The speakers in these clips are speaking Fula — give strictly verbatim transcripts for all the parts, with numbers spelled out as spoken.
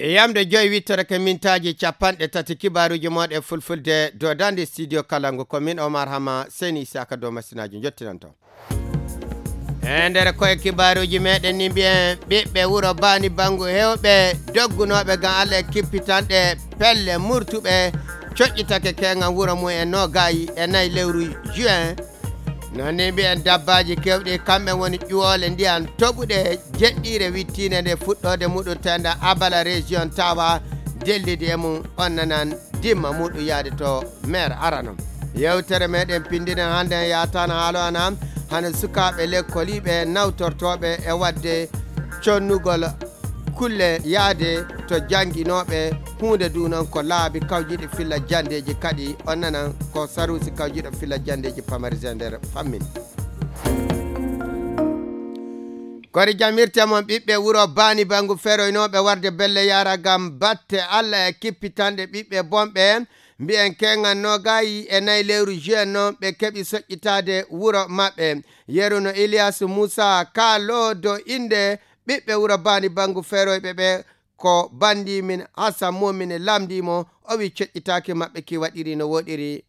Yamde joyi wittorake mintaaji capanɗe tati kibaaruuji mooɗon e fulfulde dow daande studio Kalangu ko min Omar Hama Seni Isaka dow masinaaji njottinanto. E nder koye kibaaruuji meɗen ni mbiyen ɓiɓɓe wuro Baani Bangu hewɓe doggunooɓe ngam Allah e kippitanɗe pelle murtuɓe coƴƴitake keeŋan wuro mum e noogaayi e nayi lewru juin. Noon ni mbiyen dabbaaji kewɗi kamɓe woni ƴuwoole ndiyan toɓuɗe jeɗɗiire wittiinde nde fuɗɗoode muɗum tenda Abala région tawa dellidi e mum on nanan dimma muɗum yaade to maire arano. Yewtere meɗen pinndinen hannde en yaataano haalo ana hano sukaaɓe lekkoliiɓe nawtortooɓe e waɗde connugol kulle yaade to jannginooɓe huunde du noon ko laabi kawjiɗi filla janndeeji kadi on nanan ko saruusi kawjiɗo filla janndeeji pamari e nder fammin. Kori jamirte mon ɓiɓɓe wuro Baani Bangu feroynooɓe warde belle yara ngam batte Allah e kippitanɗe ɓiɓɓe bonɓe mbiyen keŋan noogaayi e nayi lewru juin noon ɓe keɓi soƴƴitaade wuro maɓɓe. Yeru no Iliyaasu Muusa kaaloo dow innde ɓiɓɓe wuro Baani Bangu feroyɓe ɓe ko banndi min Hasan Mumin lamndii mo o wi coƴƴitaaki maɓɓe ki waɗiri no woɗiri.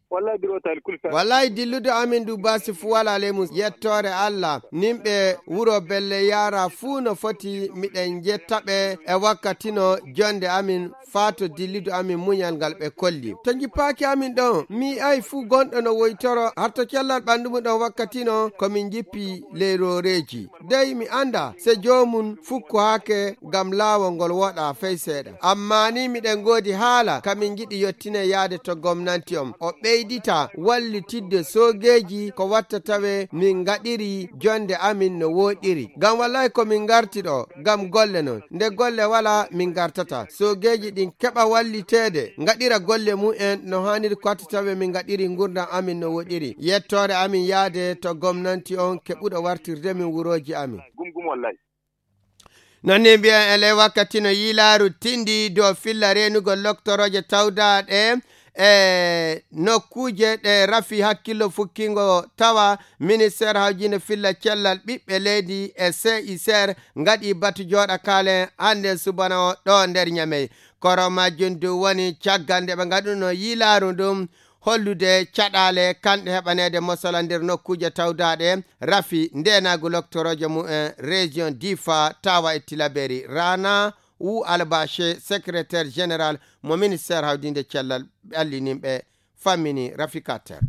Wallahi dillude amin du basi fu wala ley mum yettoore Allah nimɓe wuro belle yara fuu no foti miɗen jetta ɓe e wakkatino jonde amin faa to dillude amin muñal ngal ɓe kolli to jippaaki amin ɗon mi ay fuu gonɗo no woytoro har to cellal ɓanndu mum ɗon wakkatino ko min jippi ley rooreeji dey mi annda se joomum fukkohake ngam laawol ngol woɗa fey seeɗa amma ni miɗen ngoodi haala ka min ngiɗi yottine yaade to gomnanti on o ɓeydita wallitidde soogeeji ko watta tawe min ngaɗiri jonde amin no wooɗiri ngam wallahi ko min ngarti ɗo ngam golle non nde golle wala min ngartata soogeeji ɗin keɓa walliteede ngaɗira golle mum en no haaniri ko watta tawe min ngaɗiri ngurdam amin no woɗiri yettoore amin yaade to gomnanti on keɓuɗo wartirde min wurooji amin. Gum gum wallahi. Non ni mbiyen e ley wakkati no yiilaaru tindi dow filla reenugol loktorooje tawdaaɗe e nokkuuje ɗe rafi hakkillo fukkingo tawa ministeer hawjiinde filla cellal ɓiɓɓe leydi e C I C R ngaɗi batu jooɗa kaalen hannden subana o ɗo nder Ñamey. Koro majjum du woni caggal nde ɓe ngaɗuno yiilaaru ndun hollude caɗaale kanɗe heɓaneede mosala nder nokkuuje tawdaaɗe rafi ndeenaagu loktorooje mum en région Difa tawa e Tilaberi Rana Wu Albache secrétaire général mo ministère hawdiinde cellal ɓallininɓe fammini Rafika Ter.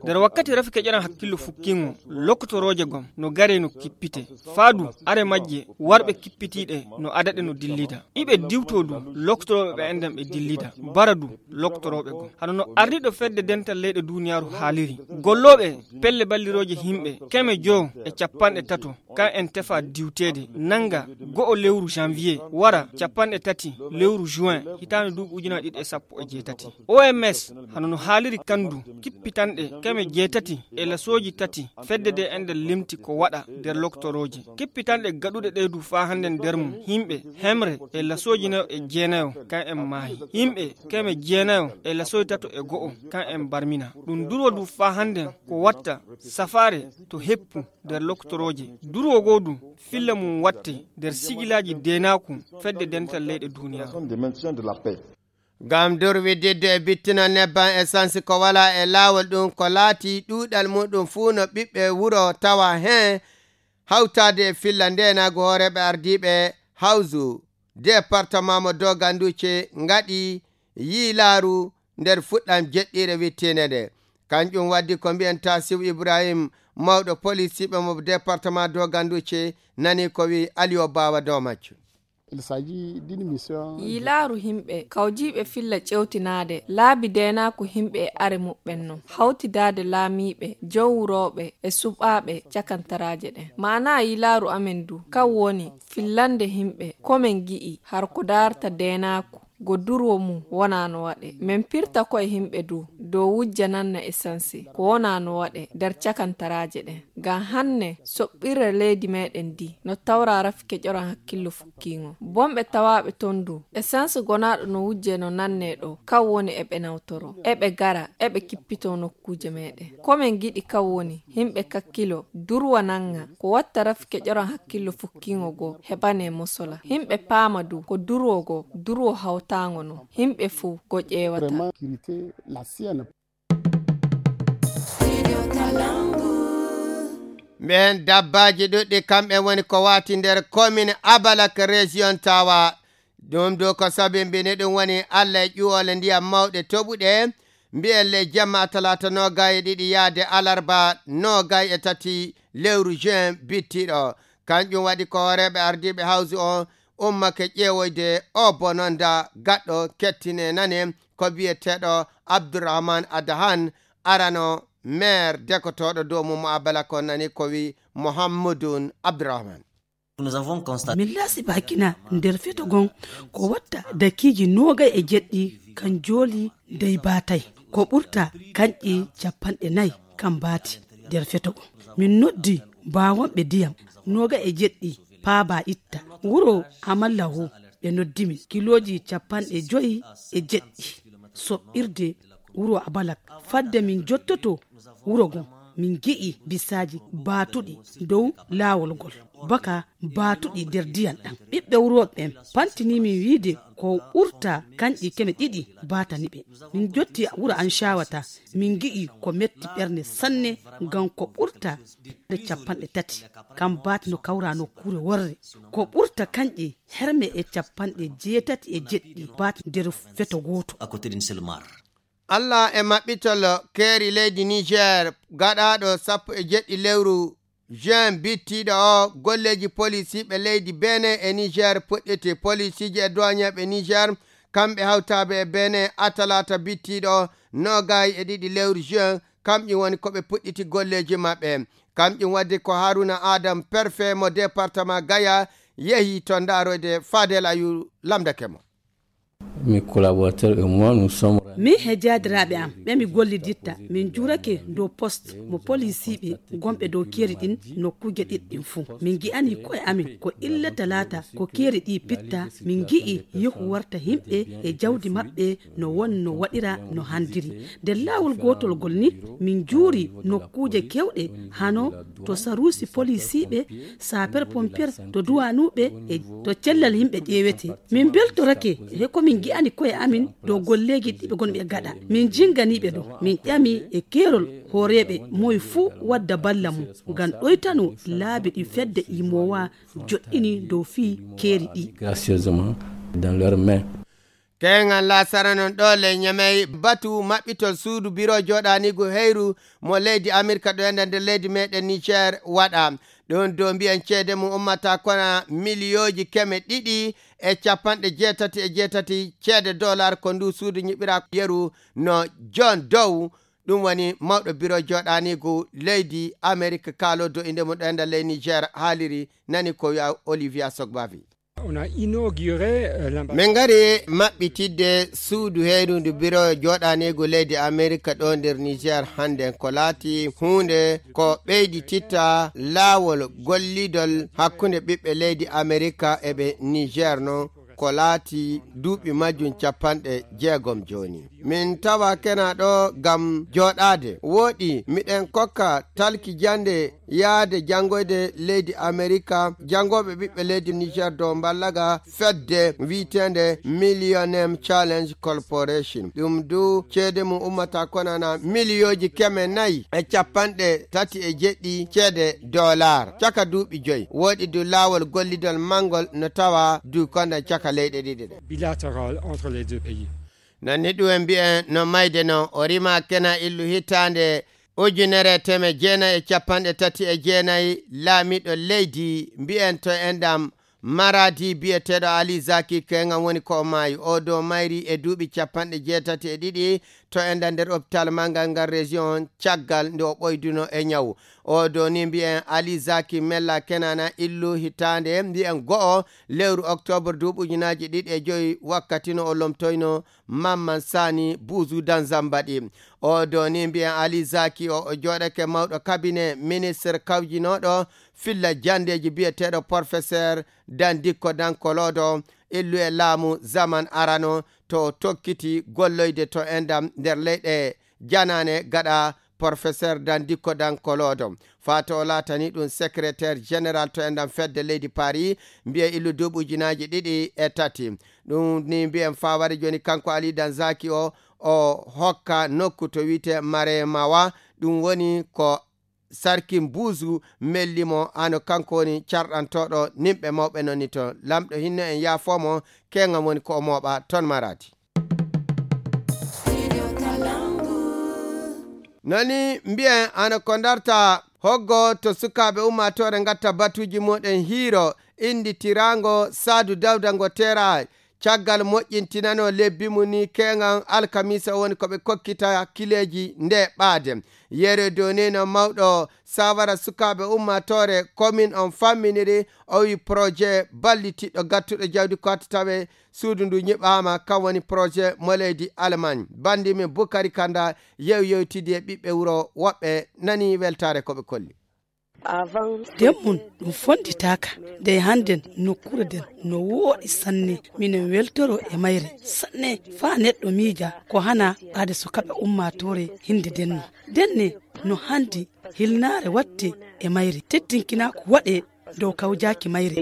Nder wakkati rafi keƴaran hakkillo fukkingo loktorooje gom no gare no kippite faadu are majje warɓe kippitiiɗe no adaɗe no dillida iɓe diwto du loktorooɓe ɓe enɗen ɓe dillida bara du loktorooɓe gom hano no ardiiɗo fedde dental leyɗe duniyaaru haaliri gollooɓe pelle ballirooje himɓe keme joo e capanɗe tato kan en tefa diwteede nannga go'o lewru janvier wara capanɗe tati lewru juin hitaande duuɓi ujunaaji ɗiɗi e sappo e jeetati. O M S hano no haaliri kan du kippitanɗe keme jeetati e lasooji tati fedde de enɗen limti ko waɗa nder loktorooje kippitanɗe gaɗuɗe ɗe du faa hannden nder mum himɓe hemre e lasooji nayo e jeenayo kan en maahi himɓe keme jeenayo e lasooji tato e go'o kan en barmina ɗum durwo du faa hannden ko watta safaare to heppu nder loktorooje durwo goo du filla mum watte nder sigilaaji deenaaku fedde dental leyɗe duniyaaru. Ngam durwididde e bittinal nebban esansi ko walaa e laawol ɗum ko laati ɗuuɗal muɗum fuu no ɓiɓɓe wuro tawa heen hawtaade e filla ndeenaagu hooreeɓe ardiiɓe hawzu departement mo doganduce ngaɗi yiilaaru nder fuɗɗam jeɗɗiire wittiinde nde kanƴum waddi ko mbiyen tasif ibrahim mawɗo polisiiɓe mo departement doganduce nani ko wi aliyo bawa dow majjum. Yilaaru himɓe kawjiiɓe filla ƴewtinaade laabi deenaaku himɓe e are muɓɓen non hawtidaade laamiiɓe jowrooɓe e suɓaaɓe cakantaraaje ɗen maanaa yilaaru amen du kan woni fillande himɓe ko men gi'i har ko daarta deenaaku go durwo mum wonaa no waɗee. Men pirta koye yimɓe du, dow wujja nanna esansi, ko wonaa no waɗee nder cakantaraaje ɗen. Ngam hanne, soɓɓirre leydi meɗen ndi, no tawraa rafi keƴoran hakkillo fukkiiŋo. Bonɓe tawaaɓe ton du, esansi gonaaɗo no wujjee no nannee ɗo, kan woni eɓe nawtoroo, eɓe gara, eɓe kippitoo nokkuuje meɗen. Ko men giɗi kan woni, yimɓe kakkiloo, durwa nannga, ko watta rafi keƴoran hakkillo fukkiiŋo go, heɓanee mosola. Yimɓe paama du, ko durwo go, durwo hawtaaŋo non. Yimɓe fuu go ƴeewata. Ɓen dabbaaji ɗuɗɗi kamɓe woni ko waati nder komin Abalak, région Tawa. Ɗum du ko sabimbini ɗum woni Allah e ƴuwole ndiyam mawɗe toɓuɗe. Mbiyen ley jemma talaata noogay e ɗiɗi yaade alarba noogay e tati lewru juin bittiɗo. Kanƴum waɗi ko hooreeɓe ardiiɓe hawsu on ummake ƴeewoyde o bononda gaɗɗo kettine nane ko biyeteeɗo Abdourahmane Adahan, arano maire dekotooɗo dow mum mo Abala kon nani ko wi Mohammedun Abdourahmane. Min laasi bakina nder feto gon ko watta dakiiji noogay e jeɗɗi kan jooli dey baatay. Ko ɓurta kanƴi capanɗe nay kan baati nder feto gon. Min noddi baawonɓe diyam noogay e jeɗɗi paaba itta. Wuro Amalla wo ɓe noddi min. Kilooji capanɗe joyi e jeɗɗi soɓɓirde wuro Abalak. Fadde min jottoto wuro gon, min gi'i bisaaji baatuɗi dow laawol ngol, baka baatuɗi nder diyam ɗam. Ɓiɓɓe wuro ɓen pantini min wiide ko ɓurta kanƴi keme ɗiɗi baatani ɓe. Min jotti wuro an Caawata, min gi'i ko metti ɓernde sanne, ngam ko ɓurta nde capanɗe tati. Kam baati no kawra nokkuure worre. Ko ɓurta kanƴe herme e capanɗe jeetati e jeɗɗi baati nder feto gooto. À côté d'une seule mare. Allah e maɓɓitol keeri leydi Niger gaɗaaɗo sappo e jeɗɗi lewru juin bittiiɗo o, golleeji polisiiɓe leydi Benin e Niger puɗɗiti. Polisiiji e duwañeeɓe Niger, kamɓe hawtaaɓe e Benin, a talaata bittiiɗo o, noogay e ɗiɗi lewru juin, kamƴum woni ko ɓe puɗɗiti golleeji maɓɓe. Kamƴum waddi ko Haruna Adam, perfet mo département Gaya, yehi to ndaaroyde Fadel Ayu lamndake mo. Mes collaborateurs et moi, nous sommes. Min he jaadiraaɓe am ɓe mi golliditta, min juurake dow poste mo polisiiɓe gonɓe dow keeri ɗin nokkuuje ɗiɗi ɗin fuu. Min ngi'ani ko'e amin ko illa talaata ko keeri ɗi pitta, min ngi'i yehu warta yimɓe e jawdi maɓɓe no won no waɗira no handiri. Nder laawol gootol gol ni, min juuri nokkuuje kewɗe hano to saruusi polisiiɓe, sapeur pompier, to duwanuuɓe e to cellal yimɓe ƴeewete. Min mbeltorake he ko min ngi'ani ko'e amin dow golleeji ɗi ɓe ngonɓe gaɗa. Min jinganiiɓe ɗo, min ƴami e keerol hooreeɓe moy fuu wadda balla mum ngam ɗoytano laabi ɗi fedde imoowa joɗɗini dow fii keeri ɗi. Gracieusement dans leurs mains. Keŋal lasara non ɗo ley Ñamey batu maɓɓitol suudu biro joɗanigu heyru mo leydi Amirka ɗo enda nder leydi meɗen Niger waɗa. Ɗon dow mbiyen ceede mum ummata kona miliyooji keme ɗiɗi e capanɗe jeetati e jeetati ceede dollar ko ndu suudu ñiɓira yeru no John Dow. Ɗum woni mawɗo biro joɗanigu leydi Amirka kaalo do inde mum ɗo enda ley Niger haaliri nani ko wi'a Olivia Sogbavi. On a inauguré, euh, l'ambassade. Min ngari maɓɓitidde suudu heerundu biro joɗanigu leydi Amerika ɗo nder Niger hande ko laati huunde ko ɓeydititta laawol gollidol hakkunde ɓiɓɓe leydi Amerika e ɓe Niger non ko laati duuɓi majjum capanɗe jeegom jooni. Min tawa kena ɗo ngam jooɗaade. Wooɗi, miɗen kokka talki jannde yahde janngoyde leydi Amerika, janngooɓe ɓiɓɓe leydi Niger dow mballaga fedde wi'eteende Millennium Challenge Corporation. Ɗum du ceede mum ummata konana miliyooji keme nayi e capanɗe tati e jeɗɗi ceede dollar caka duuɓi joyi. Wooɗi du laawol gollidol manngol no tawa du konda caka leyɗe ɗiɗi ɗe. Bilatéral entre les deux pays. Non ni ɗum en mbiyen no mayde non, o rima kena illu hitaande ujunere e teemeɗɗe jeenayi e capanɗe tati e jeenayi, laamiiɗo leydi mbiyen to enɗam Maradi biyeteeɗo Ali Zaki Keŋan woni ko o maayi. O do mayri e duuɓi capanɗe jeetati e ɗiɗi, to enɗan nder hôpital manngal ngal région caggal nde o ɓoyduno e ñawu. O do ni mbiyen Ali Zaki Mella Kenana illu hitaande mbiyen go'o lewru octobre duuɓi ujunaaji ɗiɗi e joyi wakkati no o lomtoyno Mamman Sani Buzu Danzambaɗi. O do ni mbiyen Ali Zaki o, o jooɗake mawɗo cabinet ministre kawjinooɗo filla janndeeji biyeteeɗo professeur Dandikko Dankolodo illu e laamu zaman arano to o tokkiti golloyde to endam nder leyɗe janaane gaɗa professeur Dandikko Dankolodo. Faato o laatani ɗum secrétaire général to endam fedde leydi Paris, mbiye illu duuɓi ujunaaji ɗiɗi e tati. Ɗum ni mbiyen fawari jooni kanko Ali Danzaki o, o hokka nokku to wiyte Maremawa. Ɗum woni ko Sarkin Buuzu melli mo, hano kanko woni carɗantooɗo nimɓe mawɓe non ni to. Lamɗo hinno en yaafoo mo, keŋam woni ko o mooɓa ton maraadi. Noni mbiyen hano ko darta hoggo to sukaaɓe ummaatoore ngatta batuuji muɗen hiiro indi tiraango Saadu Dawda ngo teera caggal moƴƴintinano lebbi mum ni keŋan alkamisa woni ko ɓe kokkita kileeji nde ɓaade. Yere donino mawɗo sawara sukaaɓe ummaatoore komin on famminiri o wi projet ballitiɗɗo gattuɗo jawdi ko hatta tawe suudu ndu ñiɓaama kan woni projet mo leydi Allemagne. Bandi min Bukari Kanda yew yewtidi e ɓiɓɓe wuro woɓɓe nani weltaare ko ɓe kolli. Nden mum ɗum fonnditaaka. Ndey hannden nokkuure nden no wooɗi sanne. Minen weltoro e mayre sanne faa neɗɗo miija ko hana ɓaade so kaɓe ummaatoore hinnde nden no ndenne no hanndi hilnaare waɗte e mayre teddinkinaa ko waɗee dow kawjaaki mayre.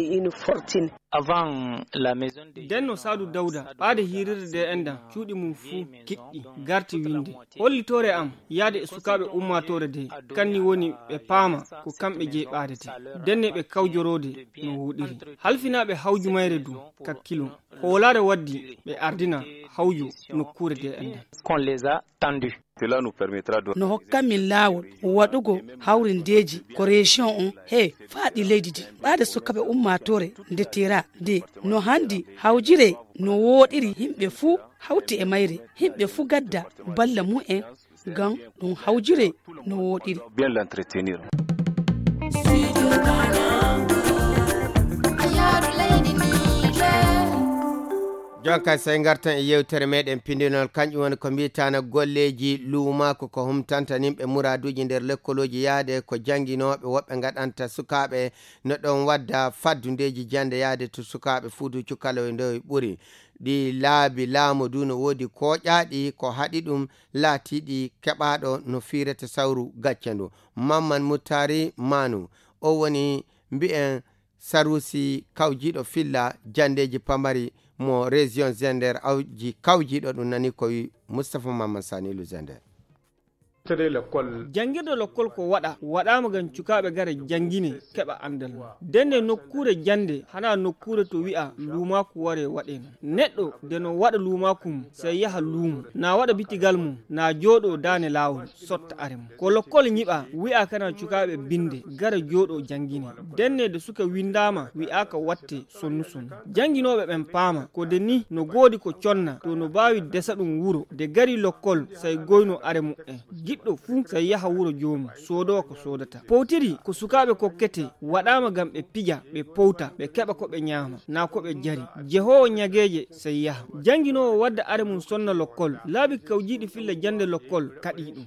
Denno Saadu Dawda ɓaade hiirirde nde enɗan cuuɗi mum fuu kiɗɗi garti winnde hollitoore am yahde e sukaaɓe ummaatoore de kanni woni ɓe paama ko kamɓe jeyi ɓaadete denne ɓe kawjoroode no wooɗiri halfinaaɓe hawju mayre du kakkilo hoolaare waddi ɓe ardina hawju nokkuure de enɗan. No hokkan min laawol waɗugo hawrindeeji ko reejiyoŋ on he faaɗi leydi ndi ɓaade sukaaɓe ummaatoore nde teera nde no hanndi hawjire no wooɗiri yimɓe fuu hawti e mayre yimɓe fuu gadda balla mum en ngam ɗum hawjire no wooɗiri. Jonka sey ngartan e yewtere meɗen pindinol kanƴum woni ko mbiyetana golleeji luumaaku ko humtanta nimɓe muraaduuji nder lekkolooji yahde ko jannginooɓe woɓɓe ngaɗanta sukaaɓe no ɗon wadda faddundeeji jannde yahde to sukaaɓe fuudu cukalowe ndoy ɓuri ɗi laabi laamu du no woodi kooƴaaɗi ko haɗi ɗum laatiiɗi keɓaaɗo no fiirete sawru gacce ndu. Mamman Muttari Manu o woni mbi'en Sarusi kawjiiɗo filla janndeeji pamari mo région Zender awji kawjiiɗo ɗum nani ko wi Moustapha Mamman Sani Lu Zender. Janngirde lokkol ko waɗa waɗaama ngam cukaaɓe ngara janngine keɓa anndal mum. Ndenne nokkuure jannde hanaa nokkuure to wi'a luumaaku waree waɗee non. Neɗɗo nde no waɗa luumaaku mum sey yaha luumo, na waɗa bitigal mum, na jooɗoo daane laawol sotta are mum. Ko lokkol ñiɓaa wi'aaka na cukaaɓe binnde ngara jooɗoo janngine. Ndenne nde suka winndaama wi'aaka wattee sonnu sonnu. Jannginooɓe ɓen paama ko nde nih no goodi ko conna to no baawi desa ɗum wuro nde garii lokkol sey goynoo are mu'en. Giɗɗo fuu sey yaha wuro joomum soodoo ko soodata. Powtiri ko sukaaɓe kokketee waɗaama ngam ɓe pija, ɓe powta, ɓe keɓa ko ɓe ñaama, naa ko ɓe jari. Jehoowo ñageeje sey yaha. Jannginoowo wadda are mum sonna lokkol. Laabi kawjiiɗi filla jannde lokkol kaɗii ɗum.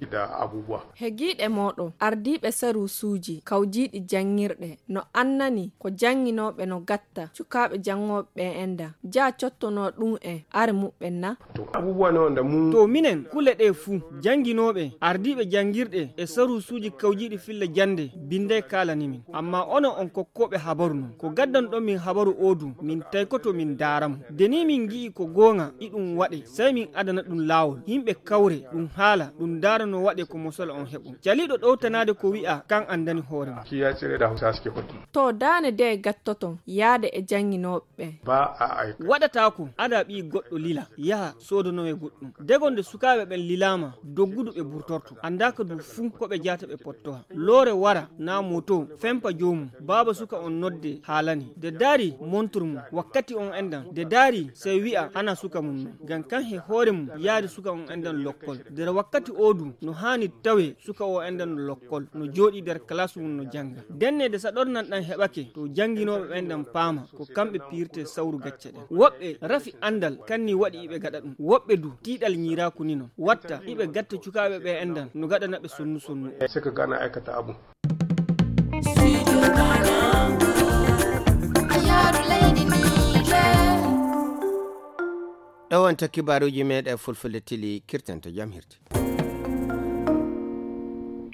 Hegiiɗe mooɗon ardiiɓe saruusuuji kawjiiɗi janngirɗe no annani ko jannginooɓe no gatta cukaaɓe janngooɓe ɓen enda jaa cottonoo ɗum en are muɓɓen na? To minen kule ɗee fuu jannginooɓe ardiiɓe janngirɗe e saruusuuji kawjiiɗi filla jannde binnday kaalani min. Ammaa onon on kokkooɓe habaru non ko gaddanɗon min habaru oo du min taykoto min ndaara mo. Nde nii min ngi'i ko goonga iɗum waɗe sey min adana ɗum laawol yimɓe kawre ɗum haala ɗum ndaara no waɗe ko mosol on heɓo. Caliiɗo ɗowtanaade ko wi'a kan anndani hoore mum. To daane de gattoton yaade e jannginooɓe ɓen. Waɗataako ada ɓii goɗɗo lila yaha soodanowe goɗɗum. Dego nde sukaaɓe ɓen lilaama doggudu ɓe burtorto. Anndaaka du fuu ko ɓe jaata ɓe pottoha. Loore wara, naa mooto, fempa joomum, baaba suka on nodde haalani. De daari montur mum, wakkati on enɗan. De daari, sey wi'a hana suka mum non. Ngam kan he hoore mum yaari suka on enɗan lokkol. Der wakkati oo du, no haani tawe suka oo enɗan no lokkol, no jooɗii der kalaas mum no jannga. Denne de saɗornan ɗan heɓake, to jannginooɓe ɓen ɗan paama, ko kamɓe piirte sawru gacce ɗen. Woɓɓe rafi anndal, kan ni waɗi iɓe gaɗa ɗum. Woɓɓe du, tiiɗal ñiiraaku ni non. Watta, iɓe gatta cukaaɓe ɓe enɗan, no gaɗana ɓe sonnu sonnu. Sai ka gana aikata abu. Ɗo wonta kibaaruuji meɗen Fulfulde Tili, kirtanto jam hirti.